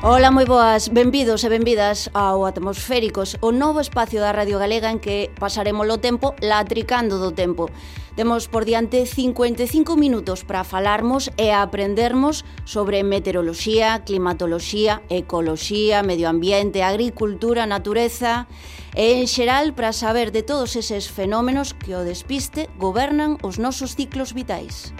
Ola, moi boas, benvidos e benvidas ao Atmosféricos, o novo espacio da Radio Galega en que pasaremos o tempo latricando do tempo. Temos por diante 55 minutos para falarmos e aprendermos sobre meteoroloxía, climatoloxía, ecoloxía, medio ambiente, agricultura, natureza e en xeral para saber de todos eses fenómenos que o despiste gobernan os nosos ciclos vitais.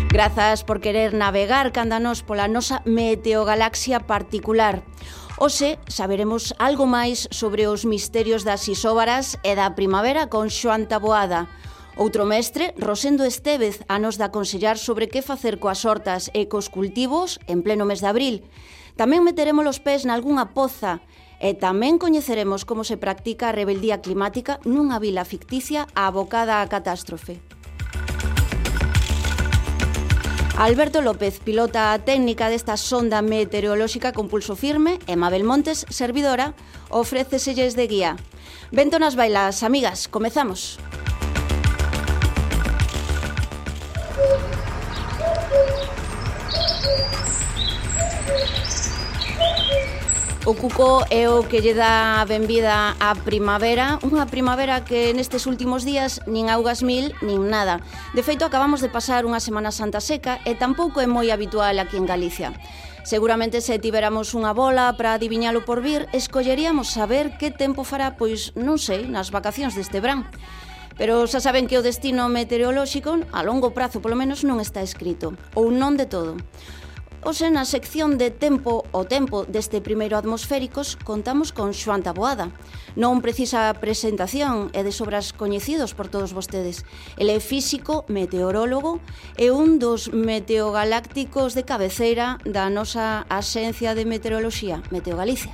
Grazas por querer navegar canda nós pola nosa meteogalaxia particular. Hoxe saberemos algo máis sobre os misterios das isóbaras e da primavera con Xoán Taboada. Outro mestre, Rosendo Estévez, a nos de aconsellar sobre que facer coas hortas e cos cultivos en pleno mes de abril. Tamén meteremos os pés nalgunha poza e tamén coñeceremos como se practica a rebeldía climática nunha vila ficticia abocada á catástrofe. Alberto López, pilota técnica desta sonda meteorolóxica con pulso firme, e Mabel Montes, servidora, ofréceselles de guía. Vento nas bailas, amigas, comezamos. O cuco é o que lle dá a benvida á primavera, unha primavera que nestes últimos días nin augas mil, nin nada. De feito, acabamos de pasar unha Semana Santa seca e tampouco é moi habitual aquí en Galicia. Seguramente se tivéramos unha bola para adiviñalo por vir, escolleríamos saber que tempo fará, pois non sei, nas vacacións deste verán. Pero xa saben que o destino meteorolóxico, a longo prazo polo menos, non está escrito, ou non de todo. Hoxe, na sección de Tempo o Tempo deste primeiro Atmosféricos, contamos con Xoán Taboada. Non precisa presentación, é de sobras coñecidos por todos vostedes. Ele é físico, meteorólogo e un dos meteogalácticos de cabeceira da nosa Axencia de Meteoroloxía, Meteogalicia.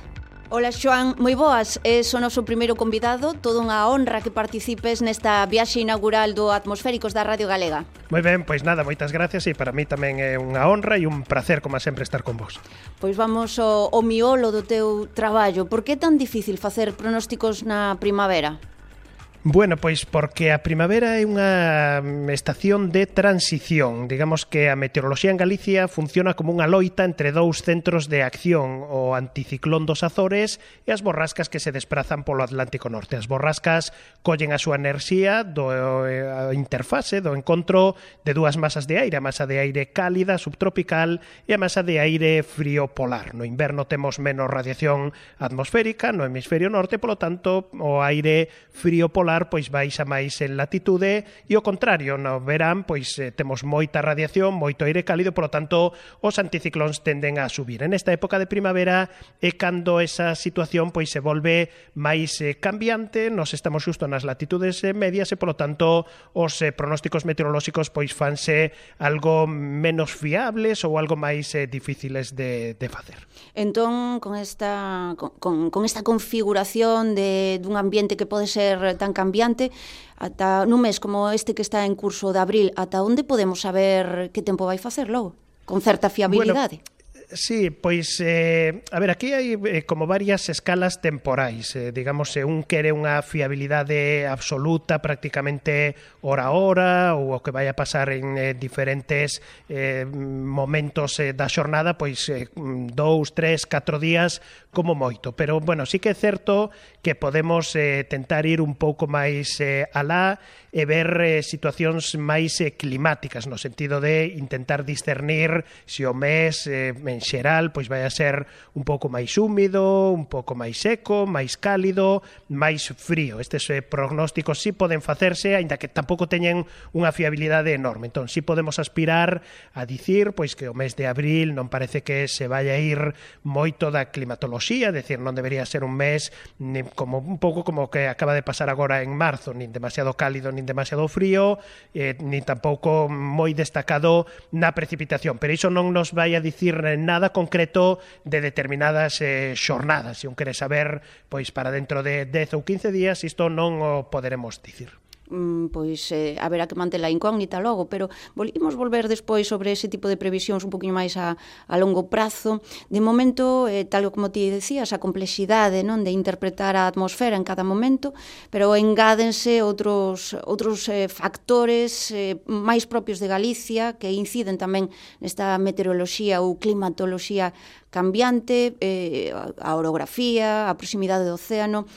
Ola, Xoán, moi boas, és o noso primeiro convidado, toda unha honra que participes nesta viaxe inaugural do Atmosféricos da Radio Galega. Moi ben, pois nada, moitas gracias e para mí tamén é unha honra e un placer, como sempre, estar con vos. Pois vamos ao miolo do teu traballo. Por que é tan difícil facer pronósticos na primavera? Bueno, pois porque a primavera é unha estación de transición. Digamos que a meteoroloxía en Galicia funciona como unha loita entre dous centros de acción, o anticiclón dos Azores e as borrascas que se desprazan polo Atlántico Norte. As borrascas collen a súa enerxía do interfase, do encontro de dúas masas de aire, a masa de aire cálida, subtropical, e a masa de aire frío polar. No inverno temos menos radiación atmosférica no hemisferio norte, polo tanto, o aire frío polar pois baixa máis en latitude e o contrario, no verán pois temos moita radiación, moito aire cálido, polo tanto os anticiclóns tenden a subir. En esta época de primavera é cando esa situación pois se volve máis cambiante, nos estamos xusto nas latitudes medias e polo tanto os pronósticos meteorolóxicos pois fanse algo menos fiables ou algo máis difíciles de facer. Entón, con esta configuración dun ambiente que pode ser tan cambiante, ata nun mes como este que está en curso de abril, ata onde podemos saber que tempo vai facer logo? Con certa fiabilidade? Bueno, sí, pois, a ver, aquí hai como varias escalas temporais. Digamos, un quere unha fiabilidade absoluta, prácticamente hora a hora, ou o que vai a pasar en diferentes momentos da xornada, pois 2, 3, 4 días como moito. Pero, bueno, sí que é certo que podemos tentar ir un pouco máis alá e ver situacións máis climáticas, no sentido de intentar discernir se o mes en xeral pois vai a ser un pouco máis húmido, un pouco máis seco, máis cálido, máis frío. Estes prognósticos sí poden facerse, aínda que tampouco teñen unha fiabilidade enorme. Entón, sí podemos aspirar a dicir pois que o mes de abril non parece que se vaya a ir moito da climatoloxía, é dicir, non debería ser un mes como un pouco como que acaba de pasar agora en marzo, nin demasiado cálido, nin demasiado frío, nin tampouco moi destacado na precipitación. Pero iso non nos vai a dicir nada concreto de determinadas xornadas. Se un quere saber, pois para dentro de 10 ou 15 días, isto non o poderemos dicir. pois haberá que manter a incógnita logo, pero imos volver despois sobre ese tipo de previsións un poquinho máis a longo prazo. De momento, tal como ti decías, a complexidade, non, de interpretar a atmosfera en cada momento, pero engádense outros factores máis propios de Galicia que inciden tamén nesta meteoroloxía ou climatoloxía cambiante, a orografía, a proximidade do océano.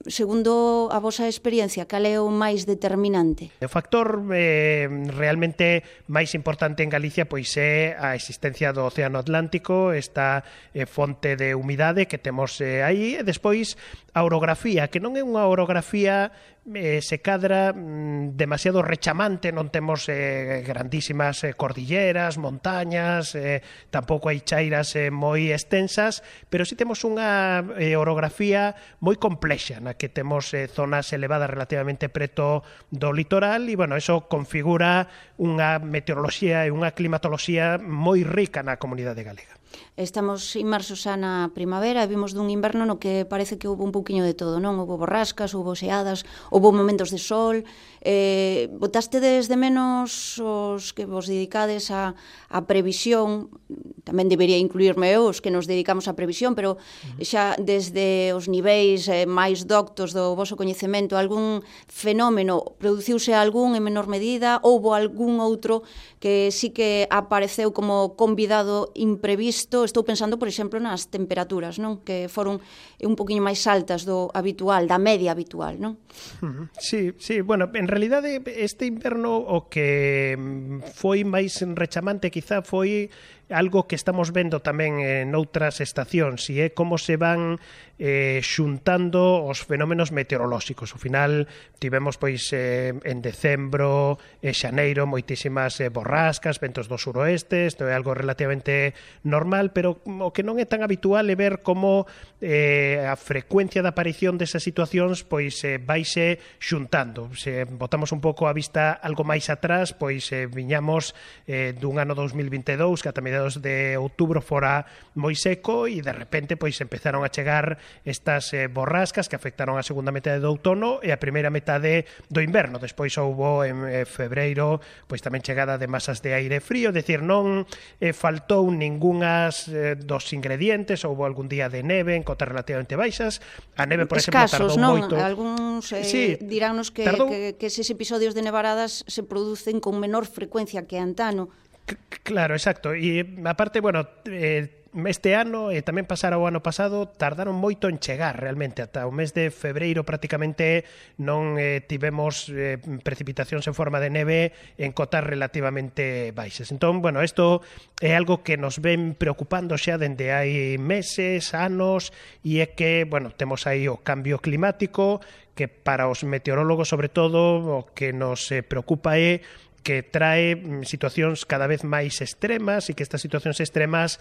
Segundo a vosa experiencia, cal é o máis determinante? O factor realmente máis importante en Galicia pois é a existencia do Océano Atlántico, esta fonte de humidade que temos aí, e despois a orografía, que non é unha orografía se cadra demasiado rechamante, non temos grandísimas cordilleras, montañas, tampouco hai chairas moi extensas, pero si temos unha orografía moi complexa, na que temos zonas elevadas relativamente preto do litoral, e, bueno, eso configura unha meteoroloxía e unha climatoloxía moi rica na comunidade galega. Estamos inmersos xa na primavera e vimos dun inverno no que parece que houve un pouquiño de todo, non? Houve borrascas, houve xeadas, houve momentos de sol. Botastedes de menos os que vos dedicades a previsión, tamén debería incluirme eu, os que nos dedicamos á previsión, pero xa desde os niveis máis doctos do voso coñecemento, algún fenómeno, produciuse algún en menor medida, houve algún outro que sí que apareceu como convidado imprevisto. Estou pensando, por exemplo, nas temperaturas, non? Que foron un poquinho máis altas do habitual, da media habitual, non? Sí, bueno, en realidade este inverno o que foi máis rechamante quizá foi algo que estamos vendo tamén en outras estacións, e é como se van xuntando os fenómenos meteorolóxicos. Ao final tivemos pois en decembro e xaneiro moitísimas borrascas, ventos do suroeste, isto é algo relativamente normal, pero o que non é tan habitual é ver como a frecuencia de aparición desas situacións pois vaise xuntando. Se botamos un pouco a vista algo máis atrás, pois viñamos dun ano 2022 que ata mediados de outubro fora moi seco, e de repente pois empezaron a chegar estas borrascas que afectaron a segunda metade do outono e a primeira metade do inverno. Despois houbo en febreiro pois tamén chegada de masas de aire frío, é dicir, non faltou ningunhas dos ingredientes. Houbo algún día de neve en cotas relativamente baixas. A neve, por exemplo, tardou moito. Algúns diránnos que eses episodios de nevaradas se producen con menor frecuencia que antano. Claro, exacto. E aparte, bueno, este ano e tamén pasara o ano pasado tardaron moito en chegar realmente. Ata o mes de febreiro prácticamente non tivemos precipitacións en forma de neve en cotas relativamente baixas. Entón, bueno, isto é algo que nos ven preocupando xa dende hai meses, anos, e é que, bueno, temos aí o cambio climático, que para os meteorólogos sobre todo o que nos preocupa é que trae situacións cada vez máis extremas, e que estas situacións extremas,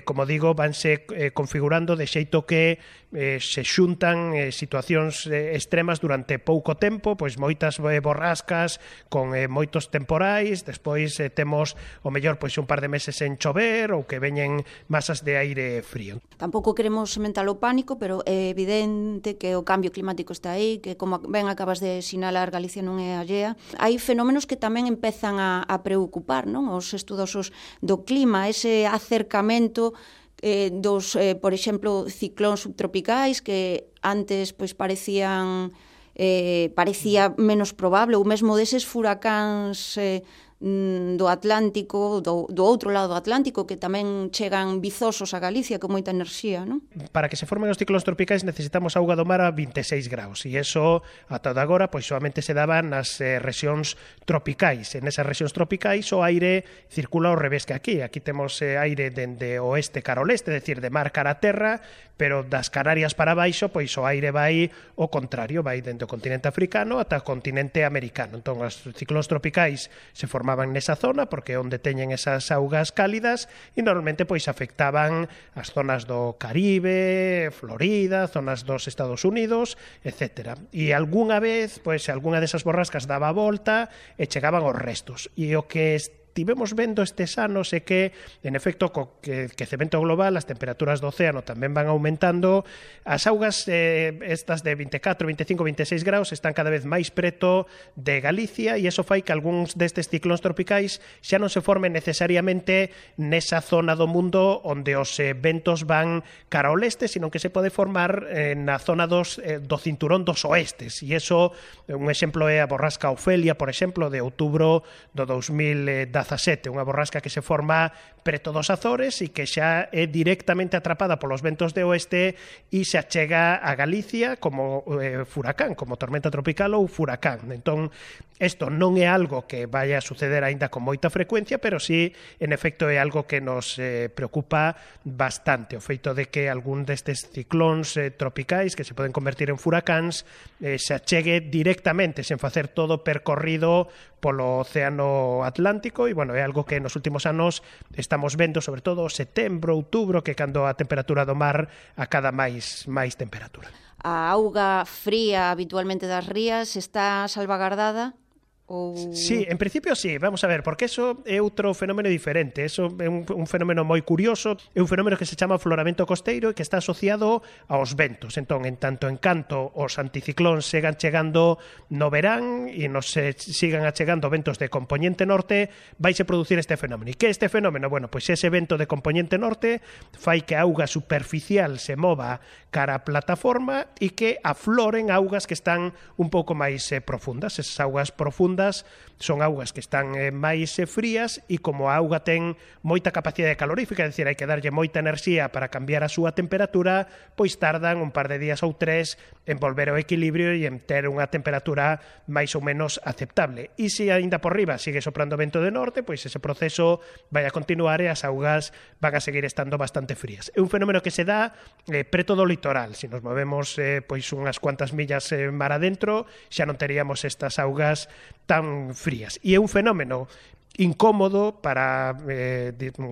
como digo, vanse configurando de xeito que se xuntan situacións extremas durante pouco tempo, pois moitas borrascas con moitos temporais, despois temos o mellor pois un par de meses en chover ou que veñen masas de aire frío. Tampouco queremos sementar o pánico, pero é evidente que o cambio climático está aí, que como ben acabas de sinalar, Galicia non é allea. Hai fenómenos que tamén empezan a preocupar, non? Os estudosos do clima, ese acercamento dos, por exemplo, ciclóns subtropicais que antes pois parecía menos probable, ou mesmo deses furacáns do Atlántico, do outro lado do Atlántico, que tamén chegan vizosos a Galicia con moita enerxía, non? Para que se formen os ciclóns tropicais necesitamos auga do mar a 26 graus, e eso, ata agora, pois solamente se daba nas rexións tropicais. En esas rexións tropicais o aire circula ao revés que aquí. Aquí temos aire dende oeste cara ao leste, é dicir, de mar cara a terra, pero das Canarias para baixo, pois o aire vai o contrario, vai dende o continente africano ata o continente americano. Entón, os ciclóns tropicais se formaban nesa zona porque é onde teñen esas augas cálidas, e normalmente pois afectaban as zonas do Caribe, Florida, zonas dos Estados Unidos, etc. E algunha vez, pois, algunha desas borrascas daba a volta e chegaban os restos. E o que tivemos vendo estes anos é que, en efecto, co quecemento global, as temperaturas do océano tamén van aumentando, as augas estas de 24, 25, 26 graus están cada vez máis preto de Galicia e iso fai que algúns destes ciclóns tropicais xa non se formen necesariamente nesa zona do mundo onde os ventos van cara ao leste, sino que se pode formar na zona do cinturón dos oestes, e iso, un exemplo é a borrasca Ofelia, por exemplo, de outubro do 2017, unha borrasca que se forma preto dos Azores e que xa é directamente atrapada polos ventos de oeste e se achega a Galicia como furacán, como tormenta tropical ou furacán. Entón, isto non é algo que vaya a suceder aínda con moita frecuencia, pero sí, en efecto, é algo que nos preocupa bastante, o feito de que algún destes ciclóns tropicais que se poden convertir en furacáns se achegue directamente, sen facer todo percorrido polo Océano Atlántico, e, bueno, é algo que nos últimos anos estamos vendo, sobre todo setembro, outubro, que cando a temperatura do mar acada máis temperatura. A auga fría habitualmente das rías está salvagardada? Sí, en principio sí, vamos a ver, porque eso é outro fenómeno diferente, eso é un fenómeno moi curioso, é un fenómeno que se chama afloramento costeiro e que está asociado aos ventos. Entón, en tanto en canto os anticiclóns segan chegando no verán e nos sigan achegando ventos de compoñente norte, vaise producir este fenómeno. E que este fenómeno? Bueno, pois ese vento de compoñente norte fai que a auga superficial se mova cara a plataforma e que afloren augas que están un pouco máis profundas. Esas augas profundas son augas que están máis frías e como a auga ten moita capacidade calorífica, é dicir, hai que darlle moita enerxía para cambiar a súa temperatura, pois tardan un par de días ou 3 en volver ao equilibrio e en ter unha temperatura máis ou menos aceptable. E se aínda por riba sigue soprando vento de norte, pois ese proceso vai a continuar e as augas van a seguir estando bastante frías. É un fenómeno que se dá preto do litoral. Se nos movemos pois unhas cuantas millas mar adentro, xa non teríamos estas augas tan frías. E é un fenómeno incómodo para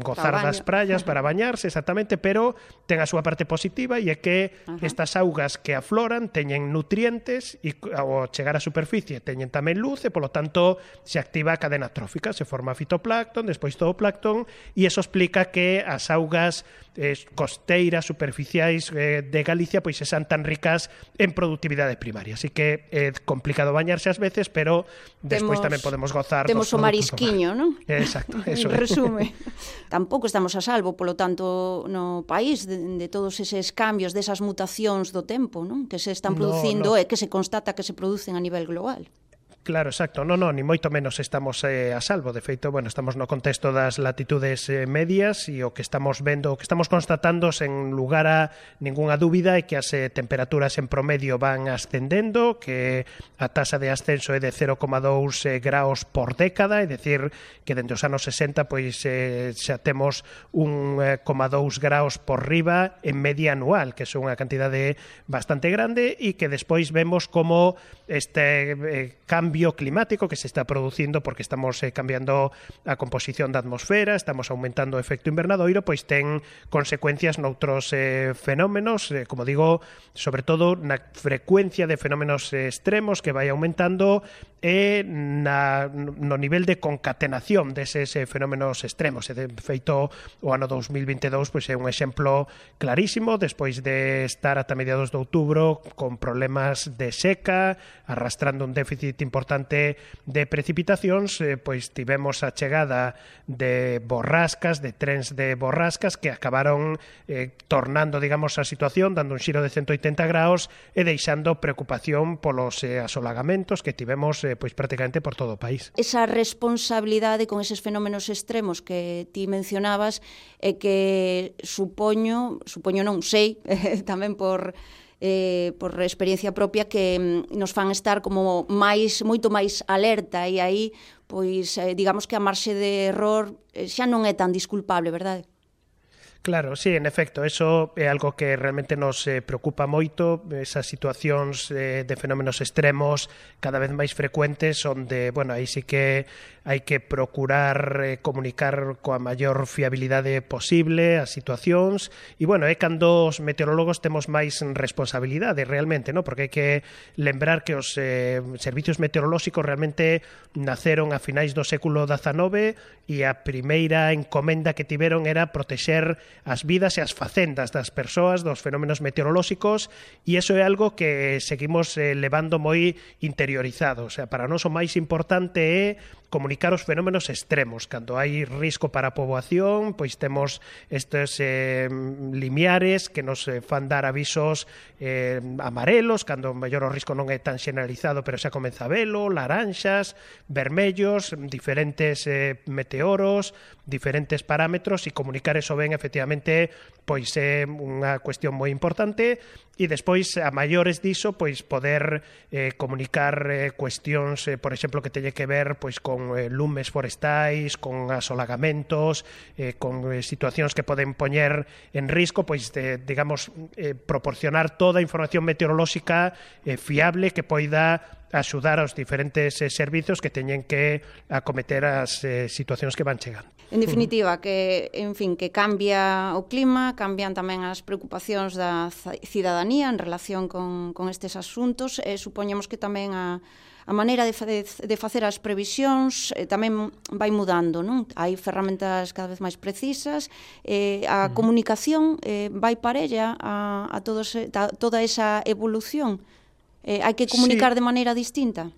gozar das praias, para bañarse, exactamente, pero ten a súa parte positiva e é que estas augas que afloran teñen nutrientes e ao chegar á superficie teñen tamén luz e, polo tanto, se activa a cadena trófica, se forma fitoplancton, despois zooplancton, e iso explica que as augas costeiras, superficiais de Galicia pois sean tan ricas en productividade primaria. Así que é complicado bañarse ás veces, pero despois tamén podemos gozar dos produtos do mar. Temos o marisquiño, non? Exacto, eso é. Resume. Tampouco estamos a salvo, polo tanto, no país de todos eses cambios, desas mutacións do tempo, non? Que se están producindo e que se constata que se producen a nivel global. Claro, exacto. Non, ni moito menos estamos a salvo. De feito, bueno, estamos no contexto das latitudes medias e o que estamos vendo, o que estamos constatando sen lugar a ningunha dúbida é que as temperaturas en promedio van ascendendo, que a taxa de ascenso é de 0,2 graus por década, é dicir, que dende os anos 60 pois xa temos 1,2 graus por riba en media anual, que é unha cantidade bastante grande e que despois vemos como este cambio climático que se está producindo porque estamos cambiando a composición da atmosfera, estamos aumentando o efecto invernadoiro, pois ten consecuencias noutros fenómenos, como digo, sobre todo na frecuencia de fenómenos extremos que vai aumentando e no nivel de concatenación deses fenómenos extremos. E de feito, o ano 2022 pois é un exemplo clarísimo, despois de estar ata mediados de outubro con problemas de seca, arrastrando un déficit importante de precipitacións, pois tivemos a chegada de borrascas, de trens de borrascas que acabaron tornando, digamos, a situación, dando un xiro de 180 graus e deixando preocupación polos asolagamentos que tivemos pois prácticamente por todo o país. Esa responsabilidade con eses fenómenos extremos que ti mencionabas é que supoño non sei, tamén por experiencia propia, que nos fan estar como moito máis alerta e aí, pois, digamos que a marxe de error xa non é tan disculpable, verdade? Claro, sí, en efecto, eso é algo que realmente nos preocupa moito, esas situacións de fenómenos extremos cada vez máis frecuentes, onde, bueno, aí sí que hai que procurar comunicar coa maior fiabilidade posible as situacións, e, bueno, é cando os meteorólogos temos máis responsabilidade realmente, ¿no? Porque hai que lembrar que os servicios meteorolóxicos realmente naceron a finais do século XIX e a primeira encomenda que tiveron era protexer as vidas e as facendas das persoas dos fenómenos meteorolóxicos, e iso é algo que seguimos levando moi interiorizado. O sea, para nós o máis importante é comunicar os fenómenos extremos. Cando hai risco para a poboación, pois temos estes limiares que nos fan dar avisos amarelos, cando mellor o risco non é tan generalizado, pero xa comeza a velo, laranxas, vermellos, diferentes meteoros, diferentes parámetros, e comunicar eso ben, efectivamente, pois é unha cuestión moi importante. E despois, a maiores diso, pois poder comunicar cuestións, por exemplo, que teñe que ver pois con lumes forestais, con asolagamentos, con situacións que poden poñer en risco, pois digamos, proporcionar toda a información meteorolóxica fiable que poida axudar aos diferentes servizos que teñen que acometer as situacións que van chegando. En definitiva, que, en fin, que cambia o clima, cambian tamén as preocupacións da cidadanía en relación con estes asuntos, supoñemos que tamén a maneira de facer as previsións tamén vai mudando, non? Hai ferramentas cada vez máis precisas, a comunicación vai parella a toda esa evolución. Hai que comunicar de maneira distinta?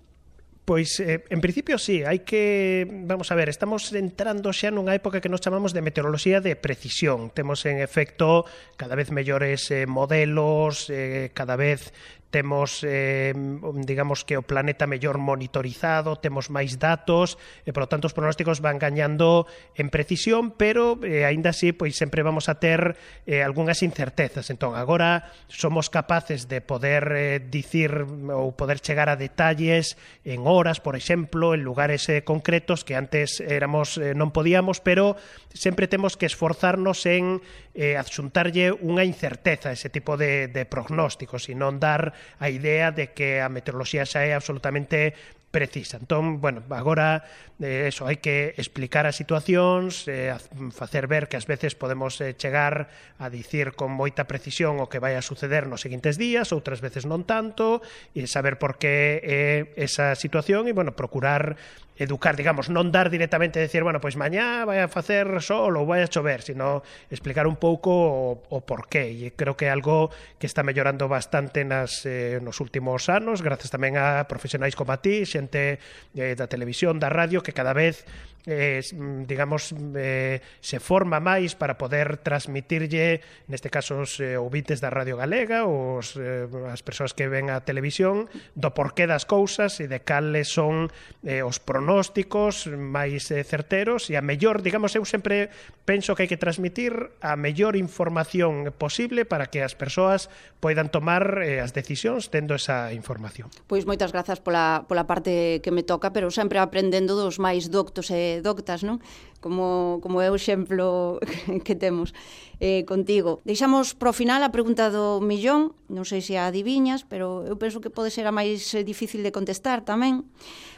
Pois, en principio, sí, hai que... Vamos a ver, estamos entrando xa nunha época que nos chamamos de meteoroloxía de precisión. Temos, en efecto, cada vez mellores modelos, cada vez temos, digamos que o planeta mellor monitorizado, temos máis datos, e, por lo tanto, os pronósticos van gañando en precisión, pero, aínda así, pois sempre vamos a ter algunhas incertezas. Entón, agora somos capaces de poder dicir ou poder chegar a detalles en horas, por exemplo, en lugares concretos que antes non podíamos, pero sempre temos que esforzarnos en adxuntarlle unha incerteza a ese tipo de prognósticos e non dar a idea de que a meteoroloxía xa é absolutamente precisa. Entón, bueno, agora eso, hai que explicar as situacións, facer ver que ás veces podemos chegar a dicir con moita precisión o que vai a suceder nos seguintes días, outras veces non tanto, e saber por que é esa situación e, bueno, procurar educar, digamos, non dar directamente a decir, bueno, pois mañá vai a facer sol ou vai a chover, sino explicar un pouco o porqué, e creo que é algo que está mellorando bastante nos últimos anos, gracias tamén a profesionais como a ti, xente da televisión, da radio, que cada vez digamos, se forma máis para poder transmitirlle, neste caso, os ouvintes da Radio Galega, as persoas que ven a televisión, do porqué das cousas e de cales son os pronósticos máis certeros, e a mellor, digamos, eu sempre penso que hai que transmitir a mellor información posible para que as persoas poidan tomar as decisións tendo esa información. Pois moitas grazas pola parte que me toca, pero sempre aprendendo dos máis doctos e doctas, non? Como é o exemplo que temos contigo. Deixamos pro final a pregunta do millón, non sei se a adiviñas, pero eu penso que pode ser a máis difícil de contestar tamén,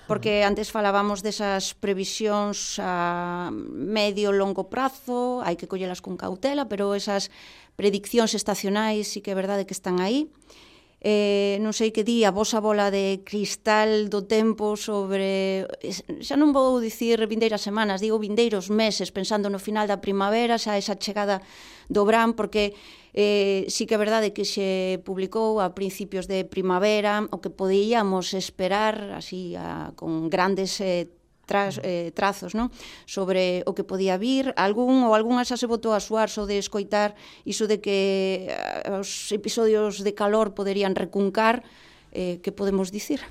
porque antes falábamos desas previsións a medio longo prazo, hai que collelas con cautela, pero esas prediccións estacionais sí que é verdade que están aí. Non sei que di a vosa bola de cristal do tempo sobre, xa non vou dicir vindeiras semanas, digo vindeiros meses, pensando no final da primavera, xa esa chegada do verán, porque sí que é verdade que se publicou a principios de primavera o que podíamos esperar así con grandes trazos, non? Sobre o que podía vir. Algunha xa se botou a suar só de escoitar iso de que os episodios de calor poderían recuncar. Que podemos dicir?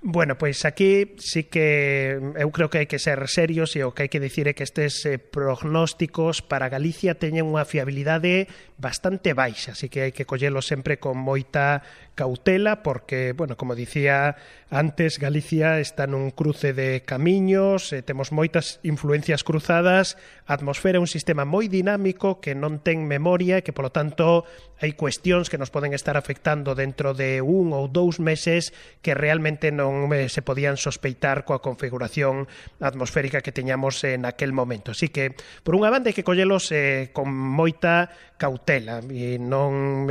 Bueno, pois aquí sí que eu creo que hai que ser serios, e o que hai que dicir é que estes prognósticos para Galicia teñen unha fiabilidade bastante baixa, así que hai que collelo sempre con moita cautela porque, bueno, como dicía antes, Galicia está nun cruce de camiños, temos moitas influencias cruzadas, a atmosfera é un sistema moi dinámico que non ten memoria e que, polo tanto, hai cuestións que nos poden estar afectando dentro de 1 ou 2 meses que realmente non se podían sospeitar coa configuración atmosférica que teñamos naquel momento. Así que, por unha banda, hai que collelos con moita cautela e non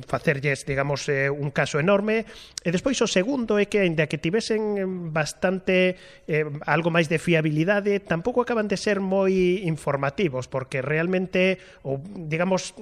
facerlles, digamos, un caso enorme. E despois o segundo é que, ainda que tivesen bastante algo máis de fiabilidade, tampouco acaban de ser moi informativos, porque realmente, ou digamos,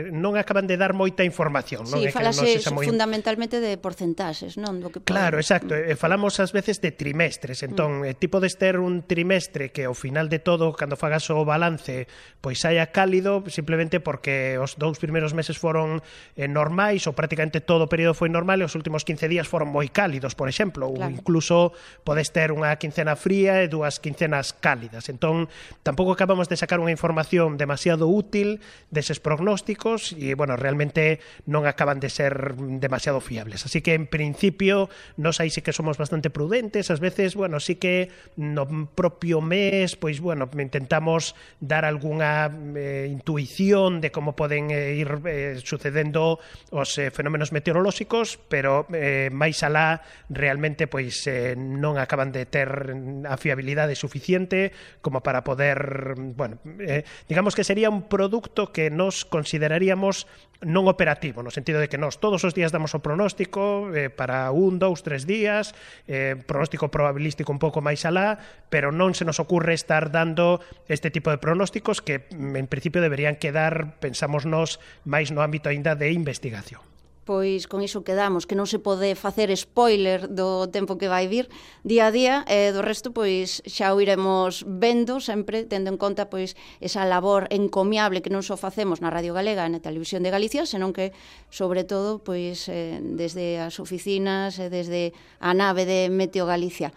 non acaban de dar moita información. Sí, falase fundamentalmente de porcentaxes, non? Do que claro, exacto. Falamos ás veces de trimestres, entón, ti podes ter un trimestre que ao final de todo, cando fagas o balance, pois saia cálido, simplemente porque os 2 primeiros meses foron normais, ou prácticamente todo o período foi normal, e os últimos 15 días foron moi cálidos, por exemplo, claro. Ou incluso podes ter unha quincena fría e 2 quincenas cálidas. Entón, tampouco acabamos de sacar unha información demasiado útil deses prognósticos e, bueno, realmente non acaban de ser demasiado fiables. Así que, en principio, nos aí sí que somos bastante prudentes. Ás veces, bueno, sí que no propio mes, pois, bueno, intentamos dar algunha intuición de como poden ir sucedendo os fenómenos meteorolóxicos, pero máis alá realmente pois non acaban de ter a fiabilidade suficiente como para poder, bueno, digamos que sería un produto que nos consideraríamos non operativo, no sentido de que nós todos os días damos o pronóstico para 1, 2, 3 días, pronóstico probabilístico un pouco máis alá, pero non se nos ocurre estar dando este tipo de pronósticos que en principio deberían quedar, pensamos nós, máis no ámbito aínda de investigación. Pois con iso quedamos, que non se pode facer spoiler do tempo que vai vir día a día, e do resto pois xa o iremos vendo sempre, tendo en conta pois esa labor encomiable que non só facemos na Radio Galega e na Televisión de Galicia, senón que, sobre todo, pois desde as oficinas e desde a nave de Meteo Galicia.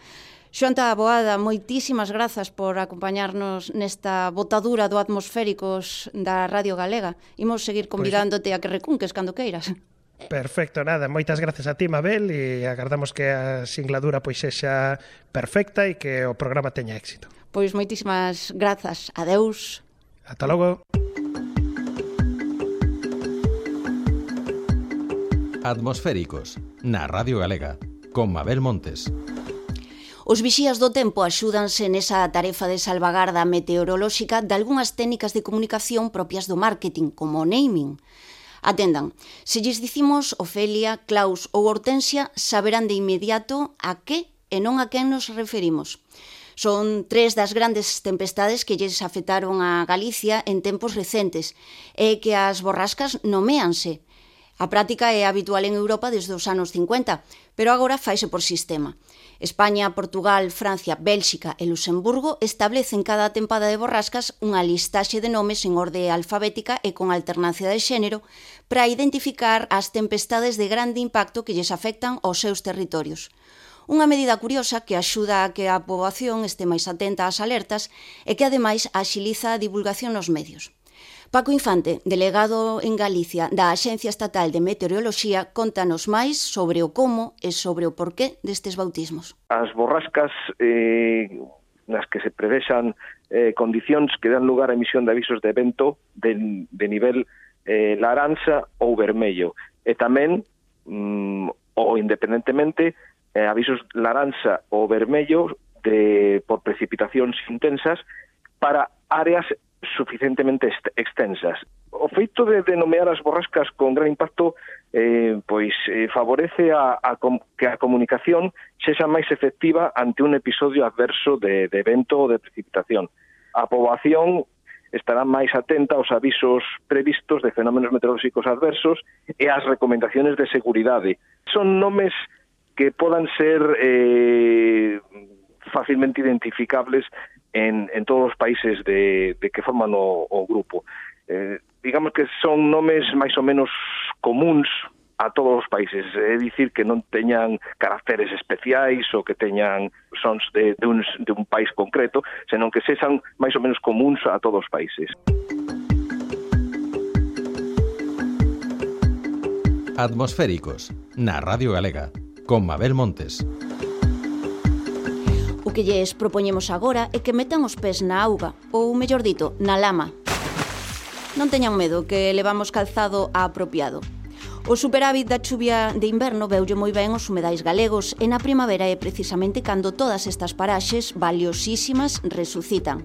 Xoan Taboada, moitísimas grazas por acompañarnos nesta botadura do Atmosféricos da Radio Galega. Imos seguir convidándote a que recunques cando queiras. Perfecto, nada, moitas gracias a ti, Mabel, e agardamos que a singladura pois sexa perfecta e que o programa teña éxito. Pois moitísimas grazas. Adeus. Ata logo. Atmosféricos, na Radio Galega, con Mabel Montes. Os vixías do tempo axúdanse nesa tarefa de salvagarda meteorolóxica de algunhas técnicas de comunicación propias do marketing, como o naming. Atendan, se lles dicimos Ofelia, Klaus ou Hortensia, saberán de inmediato a que e non a quen nos referimos. Son 3 das grandes tempestades que lles afectaron a Galicia en tempos recentes e que as borrascas noméanse. A práctica é habitual en Europa desde os anos 50, pero agora faise por sistema. España, Portugal, Francia, Bélxica e Luxemburgo establecen cada tempada de borrascas unha listaxe de nomes en orde alfabética e con alternancia de xénero para identificar as tempestades de grande impacto que lles afectan aos seus territorios. Unha medida curiosa que axuda a que a poboación este máis atenta ás alertas e que, ademais, axiliza a divulgación nos medios. Paco Infante, delegado en Galicia da Axencia Estatal de Meteoroloxía, contanos máis sobre o como e sobre o porqué destes bautismos. As borrascas nas que se prevexan condicións que dan lugar a emisión de avisos de vento de nivel laranxa ou vermello, e tamén, ou independentemente, avisos laranxa ou vermello por precipitacións intensas para áreas suficientemente extensas. O feito de nomear as borrascas con gran impacto favorece que a comunicación sexa máis efectiva ante un episodio adverso de vento ou de precipitación. A poboación estará máis atenta aos avisos previstos de fenómenos meteorolóxicos adversos e ás recomendaciones de seguridade. Son nomes que podan ser fácilmente identificables en todos os países de que forman o grupo. Digamos que son nomes máis ou menos comuns a todos os países, é dicir que non teñan caracteres especiais ou que teñan sons de un país concreto, senón que sexan máis ou menos comuns a todos os países. Atmosféricos, na Radio Galega, con Mabel Montes. O que lles propoñemos agora é que metan os pés na auga, ou mellor dito, na lama. Non teñan medo que levamos calzado apropiado. O superávit da chuvia de inverno veulle moi ben os humedais galegos e na primavera é precisamente cando todas estas paraxes valiosísimas resucitan.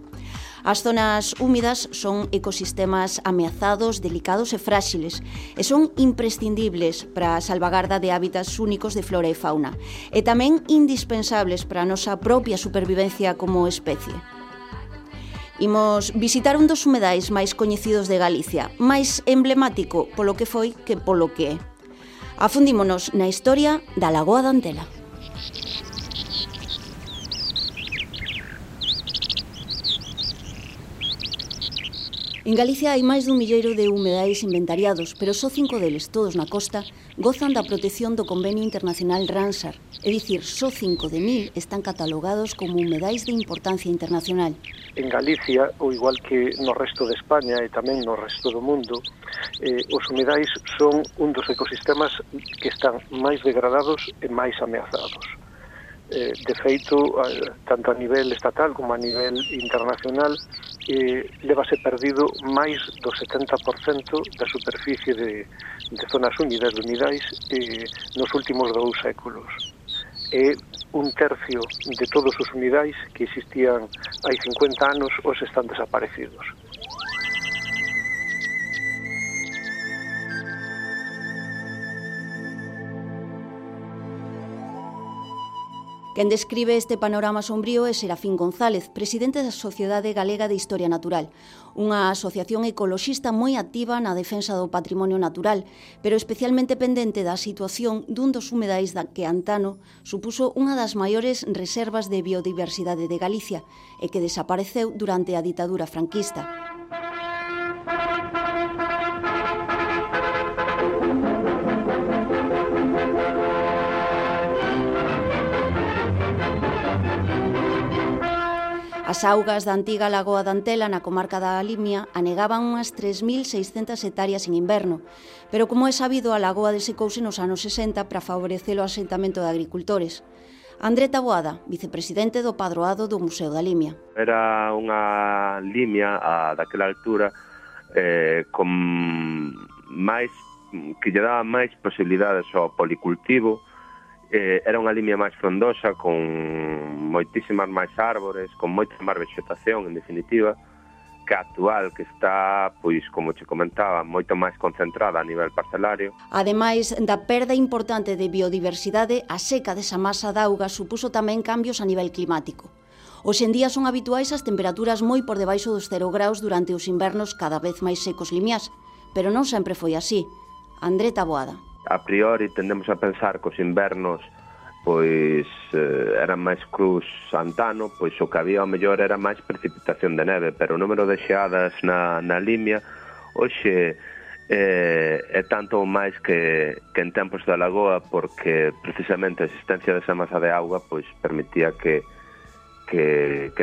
As zonas húmidas son ecosistemas ameazados, delicados e fráxiles e son imprescindibles para a salvagarda de hábitats únicos de flora e fauna e tamén indispensables para a nosa propia supervivencia como especie. Imos visitar un dos humedais máis coñecidos de Galicia, máis emblemático polo que foi que polo que é. Afundímonos na historia da Lagoa da Antela. En Galicia hai máis dun milleiro de humedais inventariados, pero só 5 deles, todos na costa, gozan da protección do Convenio Internacional Ramsar. É dicir, só 5 de 1000 están catalogados como humedais de importancia internacional. En Galicia, ou igual que no resto de España e tamén no resto do mundo, os humedais son un dos ecosistemas que están máis degradados e máis ameazados. De feito, tanto a nivel estatal como a nivel internacional, levase perdido máis do 70% da superficie de zonas húmidas, de humidais, nos últimos 2 séculos. É un tercio de todos os humidais que existían hai 50 anos os están desaparecidos. Quen describe este panorama sombrío é Serafín González, presidente da Sociedade Galega de Historia Natural, unha asociación ecoloxista moi activa na defensa do patrimonio natural, pero especialmente pendente da situación dun dos humedais que antano supuso unha das maiores reservas de biodiversidade de Galicia e que desapareceu durante a ditadura franquista. As augas da antiga Lagoa da Antela na comarca da Limia anegaban unhas 3.600 hectáreas en inverno, pero como é sabido, a lagoa desecouse nos anos 60 para favorecer o asentamento de agricultores. André Taboada, vicepresidente do Padroado do Museo da Limia. Era unha limia daquela altura con máis que lle daba máis posibilidades ao policultivo. Era unha limia máis frondosa, con moitísimas máis árbores, con moita máis vegetación, en definitiva, que a actual, que está, pois, como che comentaba, moito máis concentrada a nivel parcelario. Ademais da perda importante de biodiversidade, a seca desa masa de auga supuso tamén cambios a nivel climático. Hoxe en día son habituais as temperaturas moi por debaixo dos 0 graus durante os invernos cada vez máis secos limiás, pero non sempre foi así. André Taboada. A priori tendemos a pensar que os invernos pois eran máis cruz antano, pois o que había ao mellor era máis precipitación de neve, pero o número de xeadas na Limia hoxe é tanto máis que en tempos da lagoa, porque precisamente a existencia desa masa de auga pois permitía que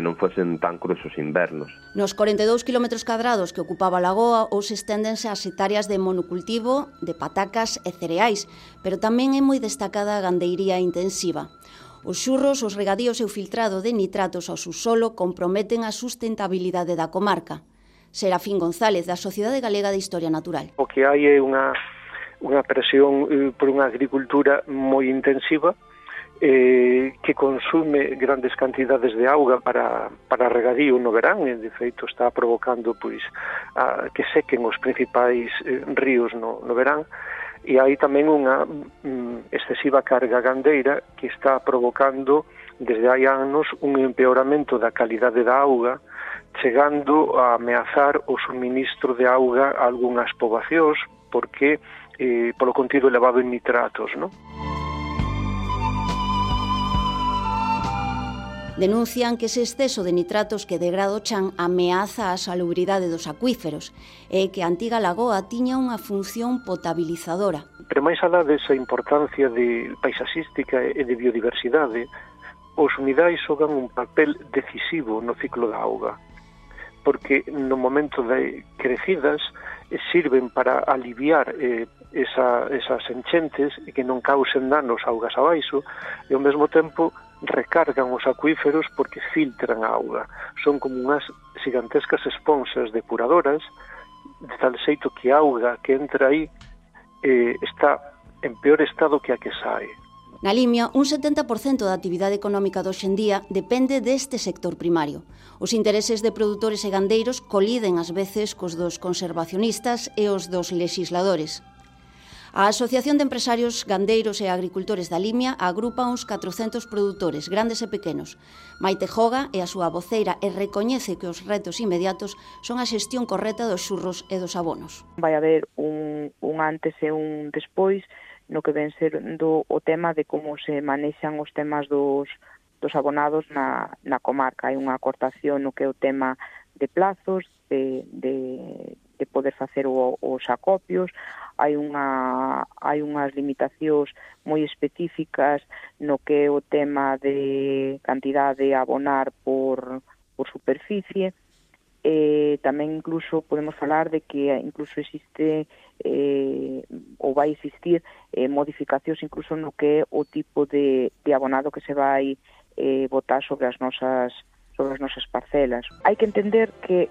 non fosen tan cruzos invernos. Nos 42 km cadrados que ocupaba a lagoa, hoxe esténdense as hectáreas de monocultivo, de patacas e cereais, pero tamén é moi destacada a gandeiría intensiva. Os xurros, os regadíos e o filtrado de nitratos ao subsolo comprometen a sustentabilidade da comarca. Serafín González, da Sociedade Galega de Historia Natural. O que hai é unha presión por unha agricultura moi intensiva, que consume grandes cantidades de auga para regadío no verán, e de feito está provocando pois que sequen os principais ríos no verán, e hai tamén unha excesiva carga gandeira que está provocando desde hai anos un empeoramento da calidade da auga, chegando a ameazar o suministro de auga a algunhas poboacións porque polo contido elevado en nitratos, non? Denuncian que ese exceso de nitratos que degrada o chan ameaza a salubridade dos acuíferos e que a antiga lagoa tiña unha función potabilizadora. Pero máis alá desa importancia de paisaxística e de biodiversidade, os humidais xogan un papel decisivo no ciclo da auga, porque no momento de crecidas sirven para aliviar esas enchentes e que non causen danos augas abaixo, e ao mesmo tempo recargan os acuíferos porque filtran a auga. Son como unhas gigantescas esponxas depuradoras, de tal xeito que a auga que entra aí está en peor estado que a que sae. Na Limia, un 70% da actividade económica de hoxendía depende deste sector primario. Os intereses de produtores e gandeiros coliden ás veces cos dos conservacionistas e os dos lexisladores. A Asociación de Empresarios Gandeiros e Agricultores da Limia agrupa uns 400 produtores, grandes e pequenos. Maite Joga é a súa voceira e recoñece que os retos inmediatos son a xestión correcta dos xurros e dos abonos. Vai haber un antes e un despois no que ven sendo o tema de como se manexan os temas dos abonados na comarca. Hai unha acortación no que é o tema de plazos, de poder facer os acopios, hai unhas limitacións moi específicas no que é o tema de cantidade a abonar por superficie. Tamén incluso podemos falar de que incluso existe ou vai existir modificacións incluso no que é o tipo de abonado que se vai botar sobre as nosas parcelas. Hai que entender que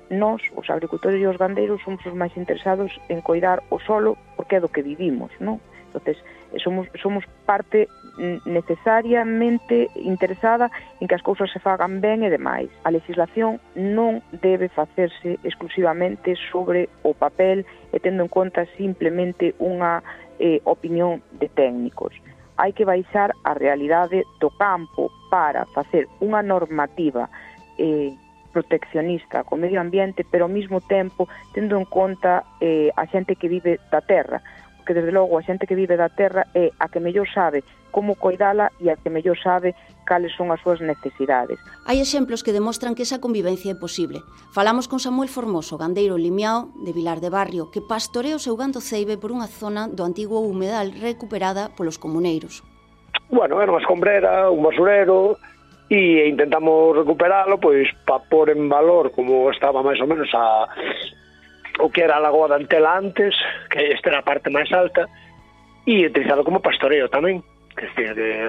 nós, os agricultores e os gandeiros, somos os máis interesados en coidar o solo porque é do que vivimos, non? Entonces, somos parte necesariamente interesada en que as cousas se fagan ben e demais. A legislación non debe facerse exclusivamente sobre o papel e tendo en conta simplemente unha opinión de técnicos. Hai que baixar a realidade do campo para facer unha normativa proteccionista co medio ambiente, pero ao mesmo tempo tendo en conta a xente que vive da terra, porque desde logo a xente que vive da terra é a que mellor sabe como coidala e a que mellor sabe cales son as súas necesidades. Hai exemplos que demostran que esa convivencia é posible. Falamos con Samuel Formoso, gandeiro limiao de Vilar de Barrio, que pastorea o seu gando ceibe por unha zona do antigo humedal recuperada polos comuneiros. Bueno, era unha escombrera, un basurero, e intentamos recuperalo pois para pôr en valor como estaba máis ou menos o que era a Lagoa da Antela antes, que esta era a parte máis alta, e utilizado como pastoreo tamén, que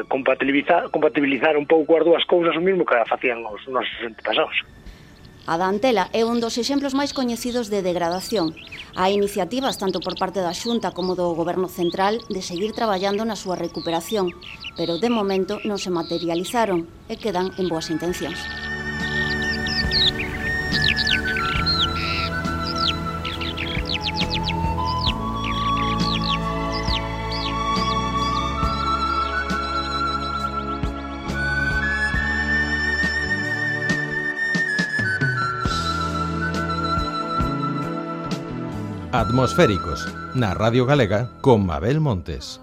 compatibilizar un pouco as dúas cousas o mesmo que facían os nosos antepasados. A da Antela é un dos exemplos máis coñecidos de degradación. Hai iniciativas tanto por parte da Xunta como do Goberno Central de seguir traballando na súa recuperación, pero de momento non se materializaron e quedan en boas intencións. Atmosféricos, na Radio Galega, con Mabel Montes.